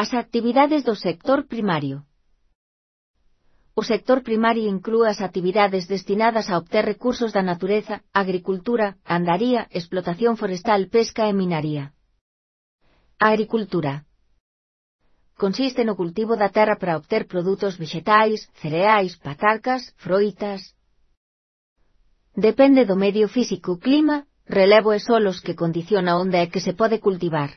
As actividades do sector primario. O sector primario inclúe as actividades destinadas a obter recursos da natureza, agricultura, gandaría, explotación forestal, pesca e minaría. A agricultura consiste no cultivo da terra para obter produtos vexetais, cereais, patatas, froitas. Depende do medio físico, clima, relevo e solos que condiciona onde é que se pode cultivar.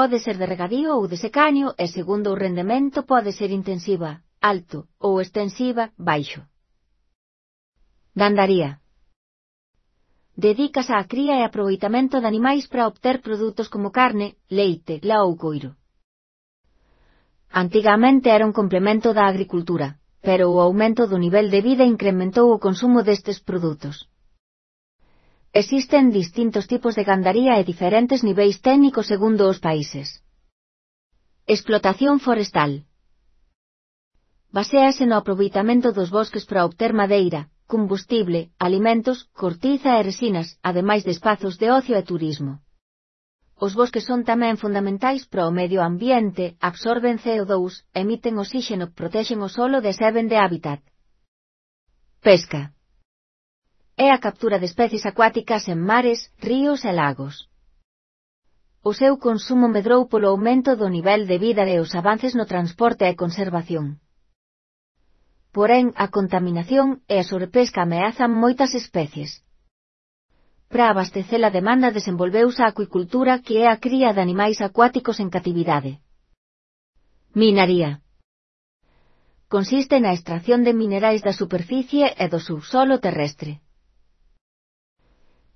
Pode ser de regadío ou de secaño e segundo o rendemento pode ser intensiva, alto, ou extensiva, baixo. Gandaría dedícase á cría e aproveitamento de animais para obter produtos como carne, leite, la ou coiro. Antigamente era un complemento da agricultura, pero o aumento do nivel de vida incrementou o consumo destes produtos. Existen distintos tipos de gandaría e diferentes niveis técnicos segundo os países. Explotación forestal baséase no aproveitamento dos bosques para obter madeira, combustible, alimentos, cortiza e resinas, ademais de espazos de ocio e turismo. Os bosques son tamén fundamentais para o medio ambiente, absorben CO2, emiten oxígeno, protexen o solo e serven de hábitat. Pesca é a captura de especies acuáticas en mares, ríos e lagos. O seu consumo medrou polo aumento do nivel de vida e os avances no transporte e conservación. Porén, a contaminación e a sobrepesca ameazan moitas especies. Para abastecer a demanda desenvolveuse a acuicultura, que é a cría de animais acuáticos en catividade. Minaría consiste na extracción de minerais da superficie e do subsolo terrestre.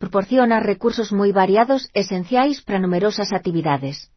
Proporciona recursos moi variados esenciais para numerosas actividades.